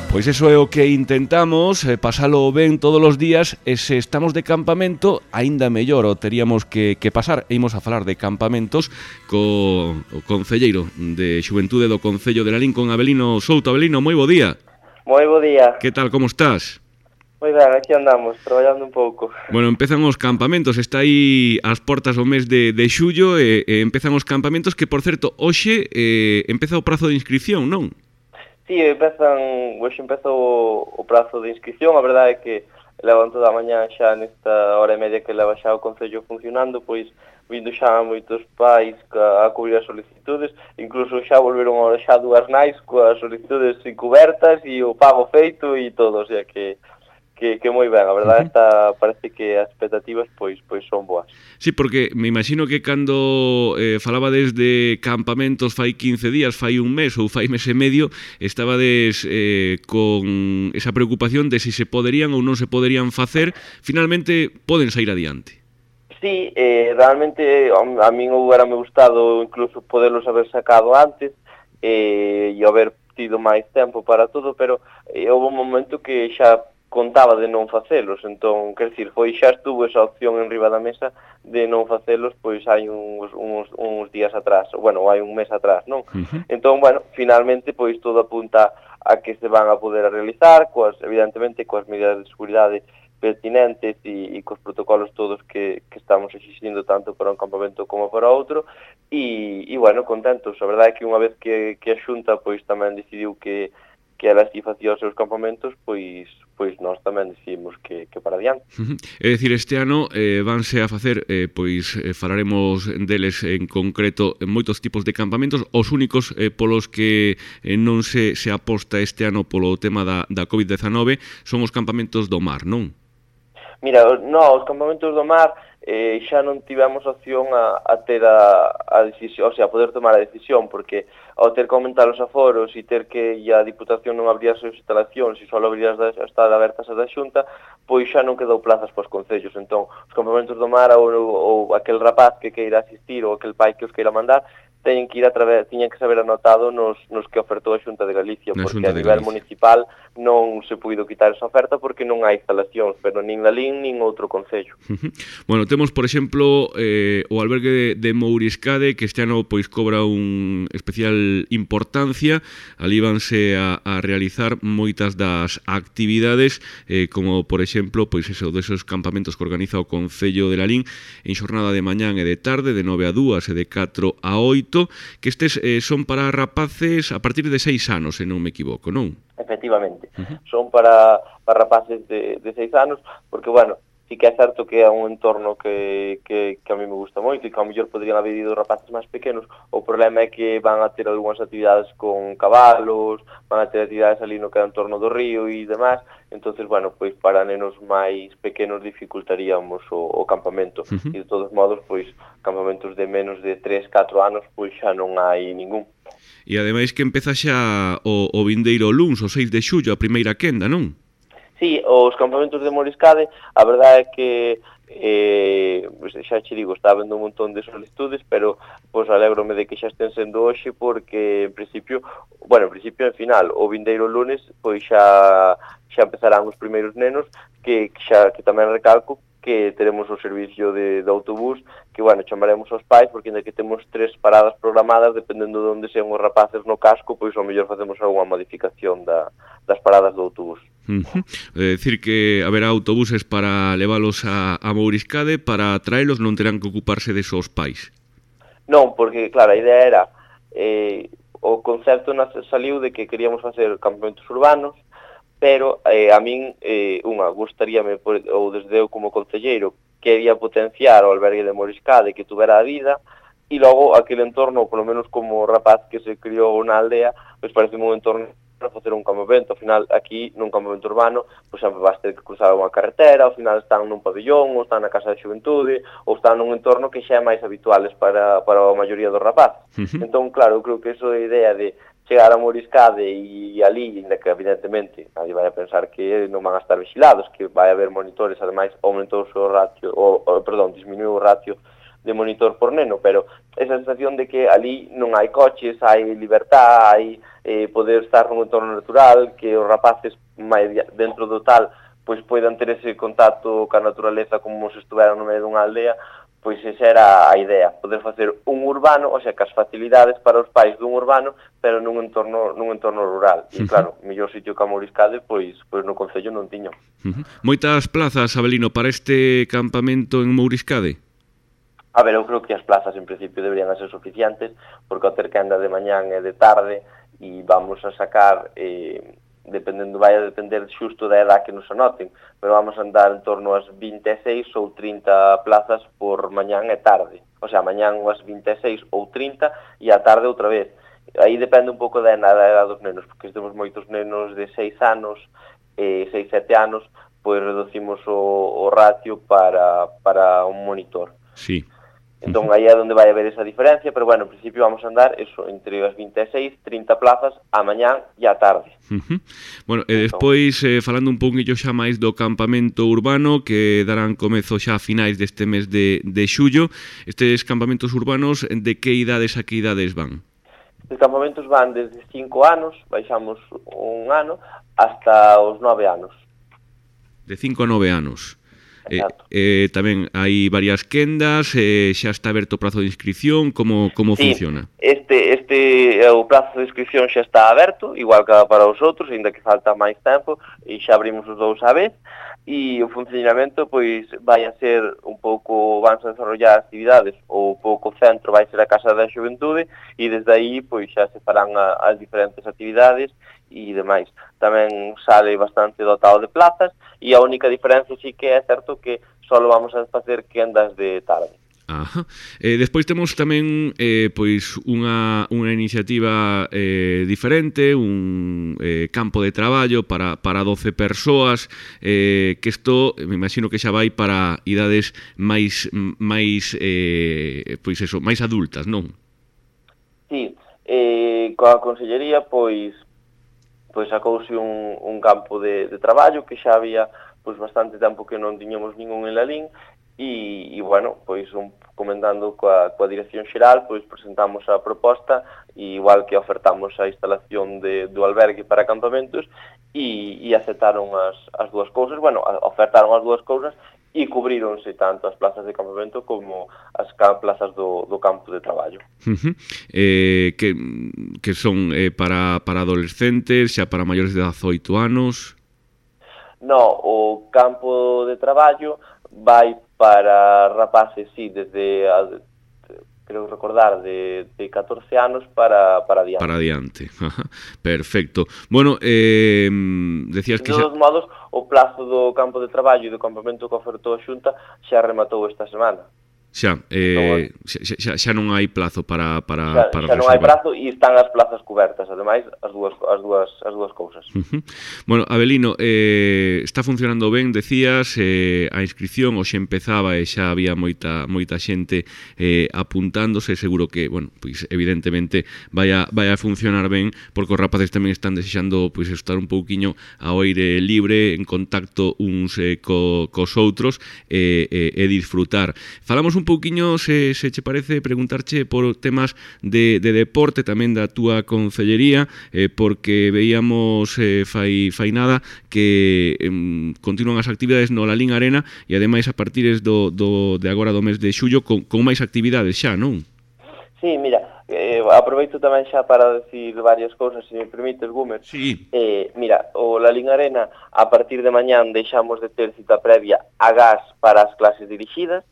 Pois iso é o que intentamos, pasalo ben todos os días, e se estamos de campamento, aínda mellor o teríamos que pasar. E imos a falar de campamentos co concelleiro de Xuventude do Concello de Lalín, con Avelino Souto. Avelino, moi bo día. Moi bo día. Que tal, como estás? Moi ben, aquí andamos, traballando un pouco. Bueno, empezan os campamentos, está aí ás portas o mes de xullo e empezan os campamentos que, por certo, hoxe empeza o prazo de inscripción, non? Sí, hoxe empeza o prazo de inscripción. A verdade é que levan toda a mañá xa nesta hora e media que leva xa o Concello funcionando, pois vindo xa moitos pais a cubrir as solicitudes, incluso xa volveron xa dúas nais coas solicitudes cubertas e o pago feito e todo, o sea que moi ben, a verdade parece que as expectativas pois son boas. Sí, porque me imagino que cando falabades de campamentos fai 15 días, fai un mes ou fai mes e medio, estabades con esa preocupación de se poderían ou non se poderían facer, finalmente poden sair adiante. Sí, realmente a min hubiérame gustado incluso poderlos haber sacado antes e haber tido máis tempo para todo, pero houve un momento que xa contaba de non facelos, entón, quer dicir, xa estuvo esa opción en riba da mesa de non facelos, pois hai uns días atrás, bueno, hai un mes atrás, non? Entón, bueno, finalmente, pois todo apunta a que se van a poder realizar, evidentemente, coas medidas de seguridade pertinentes e cos protocolos todos que estamos exigindo tanto para un campamento como para outro, e bueno, contentos. A verdade é que unha vez que a Xunta pois tamén decidiu que elas si facía os seus campamentos, pois nós tamén decidimos que para adiante. É dicir, este ano vanse a facer, falaremos deles en concreto, en moitos tipos de campamentos. Os únicos polos que non se aposta este ano polo tema da COVID-19 son os campamentos do mar, non? Mira, os campamentos do mar xa non tivemos opción a ter a decisión, o sea, a poder tomar a decisión, porque ao ter que aumentar os aforos e ter que a Diputación non abrir as súas instalacións e só abrir estar abertas as da Xunta, pois xa non quedou plazas para os concellos. Entón, os campamentos do mar ou aquel rapaz que queira asistir ou aquel pai que os queira mandar, tiñan que saber anotado nos que ofertou a Xunta de Galicia, porque a nivel municipal non se puido quitar esa oferta porque non hai instalacións, pero nin Lalín nin outro concello. Bueno, temos, por exemplo, o albergue de Mouriscade, que este ano pois cobra un especial importancia. Ali vanse a realizar moitas das actividades, como, por exemplo, pois eso, desos campamentos que organiza o Concello de Lalín en xornada de mañán e de tarde, de 9 a 2 e de 4 a 8, que estes son para rapaces a partir de 6 anos, se non me equivoco, non? Efectivamente, son para rapaces de 6 anos, porque, bueno, sí que é certo que é un entorno que a mí me gusta moito e que ao mellor podrían haber ido rapaces máis pequenos. O problema é que van a ter algunhas actividades con cabalos, van a ter actividades ali no que é o entorno do río e demais. Entonces, bueno, pois para nenos máis pequenos dificultaríamos o campamento. E de todos modos, pois campamentos de menos de 3-4 anos, pois xa non hai ningún. E ademais que empeza xa o vindeiro luns, o 6 de xullo, a primeira quenda, non? Sí, os campamentos de Mouriscade, a verdade é que xa che digo, está habendo un montón de solicitudes, pero pois alégrome de que xa estén sendo hoxe, porque en principio en final, o vindeiro lunes, pois xa empezarán os primeiros nenos, que tamén recalco que teremos o servicio de autobús, que, bueno, chamaremos aos pais, porque ainda que temos 3 paradas programadas, dependendo de onde sean os rapaces no casco, pois ao mellor facemos algunha modificación das paradas do autobús. É dicir que haberá autobuses para leválos a Mouriscade, para traelos non terán que ocuparse de os pais? Non, porque, claro, a idea era o concepto saliu de que queríamos facer campamentos urbanos, pero a min, gustaríame, ou desde eu como concelleiro, quería potenciar o albergue de Mouriscade, que tuvera a vida, e logo aquele entorno, polo menos como rapaz que se criou na aldea, pois parece un entorno para facer un campamento. Ao final, aquí, nun campamento urbano, pois sempre vas ter que cruzar unha carretera, ao final están nun pabillón, ou están na Casa de Xuventude, ou están nun entorno que xa é máis habituales para a maioría dos rapaces. Entón, claro, eu creo que iso é a idea de chegar a Mouriscade e ali, ainda que evidentemente nadie vai a pensar que non van a estar vigilados, que vai haber monitores, ademais aumentou o ratio, disminuiu o ratio de monitor por neno, pero esa sensación de que ali non hai coches, hai libertad, hai poder estar nun entorno natural, que os rapaces máis dentro do tal pois poidan ter ese contacto ca naturaleza como se estuveran no medio dunha aldea, pois esa era a idea, poder facer un urbano, o sea, que as facilidades para os pais dun urbano, pero nun entorno rural. E claro, o mellor sitio que a Mouriscade, pois no concello non tiño. Moitas plazas, Abelino, para este campamento en Mouriscade? A ver, eu creo que as plazas en principio deberían ser suficientes, porque ao ter quenda de mañán e de tarde, e vamos a sacar... vai a depender xusto da edad que nos anoten, pero vamos a andar en torno ás 26 ou 30 plazas por mañán e tarde. O sea, mañán as 26 ou 30 e a tarde outra vez. Aí depende un pouco da edad dos nenos, porque temos moitos nenos de 6 anos, 6-7 anos, pois reducimos o ratio para un monitor. Sí. Entón, aí é onde vai haber esa diferencia, pero bueno, en principio vamos a andar eso, entre as 26, 30 plazas a mañán e a tarde. Bueno, e despois, falando un pouquinho xa máis do campamento urbano, que darán comezo xa a finais deste mes de xullo, estes campamentos urbanos, de que idades a que idades van? Os campamentos van desde 5 anos, baixamos un ano, hasta os 9 anos. De 5 a 9 anos. Tamén hai varias quendas, xa está aberto o prazo de inscripción, como funciona? O prazo de inscripción xa está aberto, igual que para os outros, ainda que falta máis tempo, e xa abrimos os dous a vez, e o funcionamento pois vai a ser un pouco, van a desarrollar actividades, o pouco centro vai ser a Casa da Xuventude, e desde aí pois xa se farán as diferentes actividades e demais. Tamén sale bastante dotado de plazas, e a única diferencia sí que é certo que só vamos a facer quendas de tarde. Ajá. Despois temos tamén pois unha iniciativa diferente, un campo de traballo para 12 persoas, que isto me imagino que xa vai para idades máis pois eso, máis adultas, non? Sí, coa Consellería pois sacouse un campo de traballo que xa había pois bastante tempo que non tiñamos ningún en Lalín, e bueno, pois comentando coa Dirección Xeral, pois presentamos a proposta, e igual que ofertamos a instalación do albergue para campamentos, e aceptaron as dúas cousas, bueno, ofertaron as dúas cousas, e cubríronse tanto as plazas de campamento como as plazas do campo de traballo. Que son para adolescentes, xa para maiores de 18 anos? No, o campo de traballo vai para rapaces, sí, desde, creo recordar, de 14 anos para adiante. Para adiante, perfecto. Bueno, decías que... De todos modos, o plazo do campo de traballo e do campamento que ofertou a Xunta xa rematou esta semana. Xa non hai plazo para xa non hai prazo, e están as plazas cubertas, ademais as dúas cousas. Bueno, Abelino, está funcionando ben, decías, a inscripción hoxe empezaba e xa había moita xente apuntándose, seguro que, bueno, pois evidentemente vai a funcionar ben, porque os rapaces tamén están desexando pois estar un pouquiño ao aire libre, en contacto uns cos outros e disfrutar. Falamos un pouquiño, se che parece, preguntarche por temas de deporte, tamén da túa concellería, porque veíamos fai nada que continúan as actividades no Lalín Arena, e ademais a partir de agora do mes de xullo con máis actividades xa, non? Sí, mira, aproveito tamén xa para decir varias cousas, se me permites, Gumer. Sí. Mira, o Lalín Arena, a partir de mañán deixamos de ter cita previa a gas para as clases dirixidas.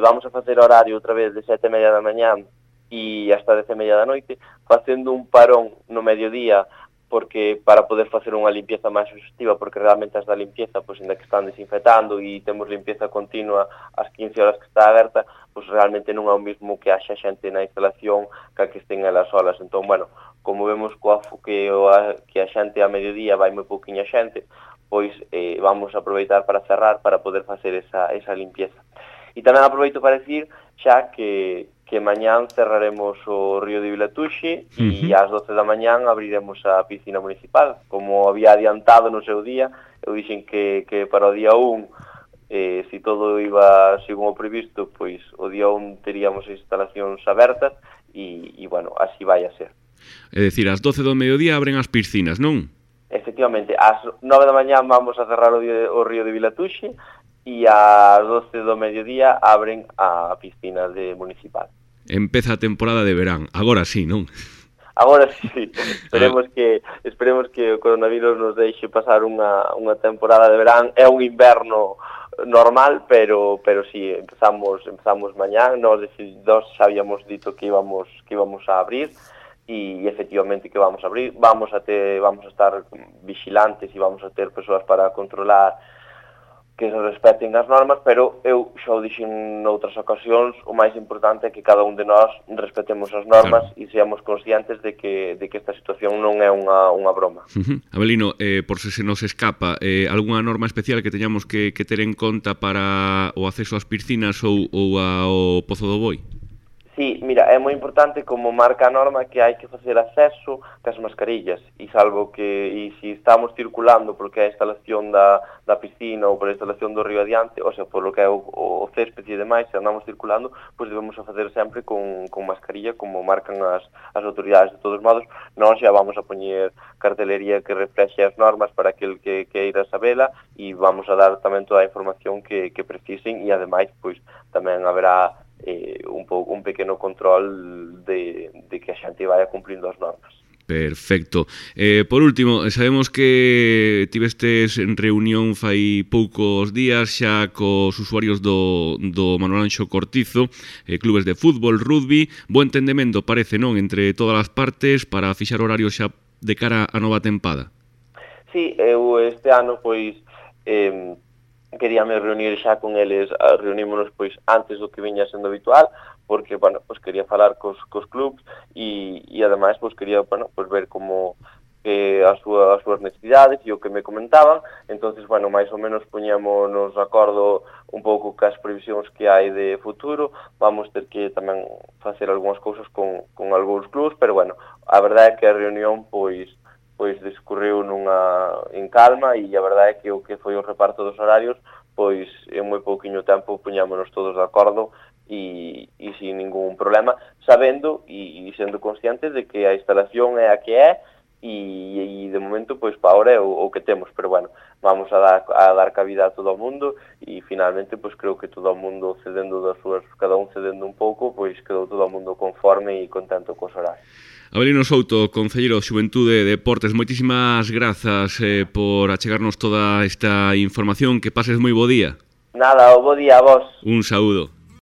Vamos a facer horario outra vez de 7:30 da mañán e hasta 10:30 da noite, facendo un parón no mediodía, porque para poder facer unha limpieza máis exhaustiva, porque realmente as da limpieza, pois ainda que están desinfectando e temos limpieza continua ás 15 horas que está aberta, pois realmente non é o mismo que haxa xente na instalación que estén elas solas. Entón, bueno, como vemos que a xente a mediodía vai moi pouquiña xente, pois vamos a aproveitar para cerrar para poder facer esa limpieza. E tamén aproveito para decir xa que mañán cerraremos o río de Vilatuxe e ás 12 da mañán abriremos a piscina municipal. Como había adiantado no seu día, eu dixen que para o día 1 se todo iba según o previsto, pois o día 1 teríamos as instalacións abertas e bueno, así vai a ser. É dicir, ás 12 do mediodía abren as piscinas, non? Efectivamente, ás 9 da mañá vamos a cerrar o río de Vilatuxe e ás 12 do mediodía abren a piscina municipal. Empeza a temporada de verán, agora sí, non? Agora sí, esperemos que o coronavirus nos deixe pasar unha temporada de verán. É un inverno normal, pero sí, empezamos mañá. Nós xa habíamos dito que íbamos a abrir e efectivamente que vamos a abrir. Vamos a estar vigilantes e vamos a ter persoas para controlar que se respeten as normas, pero eu xa o dixen noutras ocasións, o máis importante é que cada un de nós respetemos as normas e seamos conscientes de que esta situación non é unha broma. Abelino, por se nos escapa, algunha norma especial que teñamos que ter en conta para o acceso ás piscinas ou ao Pozo do Boi? Sí, mira, é moi importante como marca a norma que hai que facer acceso cas mascarillas e salvo que se estamos circulando porque é a instalación da piscina ou por a instalación do río adiante, ou sea, por lo que é o césped e demais, se andamos circulando, pois debemos a facer sempre con mascarilla como marcan as autoridades. De todos modos, nós xa vamos a poñer cartelería que reflexe as normas para aquel que queira sabela e vamos a dar tamén toda a información que precisen e ademais pois tamén haberá un pequeno control de que a xente vaya cumplindo as normas. Perfecto. Por último, sabemos que tivestes en reunión fai poucos días xa cos usuarios do Manuel Anxo Cortizo, clubes de fútbol, rugby, bo entendemento parece, non, entre todas as partes para fixar horarios xa de cara á nova tempada. Sí, eu este ano pois queríame reunir xa con eles, reunímonos pois antes do que viña sendo habitual, porque, bueno, pois quería falar cos clubs e ademais pois quería, bueno, pois ver como as súas necesidades e o que me comentaban. Entonces, bueno, máis ou menos poñémonos de acordo un pouco cas previsións que hai de futuro. Vamos ter que tamén facer algunhas cousas con algúns clubs, pero, bueno, a verdade é que a reunión pois discurriu en calma e a verdade é que o que foi o reparto dos horarios, pois en moi pouquiño tempo puñámonos todos de acordo e sin ningún problema, sabendo e sendo conscientes de que a instalación é a que é e de momento, pois, para ahora é o que temos, pero bueno, vamos a dar cabida a todo o mundo e finalmente, pois, creo que todo o mundo cedendo das súas, cada un cedendo un pouco, pois, quedou todo o mundo conforme e contento cos horarios. Abelino Souto, Concelleiro de Xuventude e Deportes, moitísimas grazas por achegarnos toda esta información. Que pases moi bo día. Nada, bo día a vos. Un saúdo.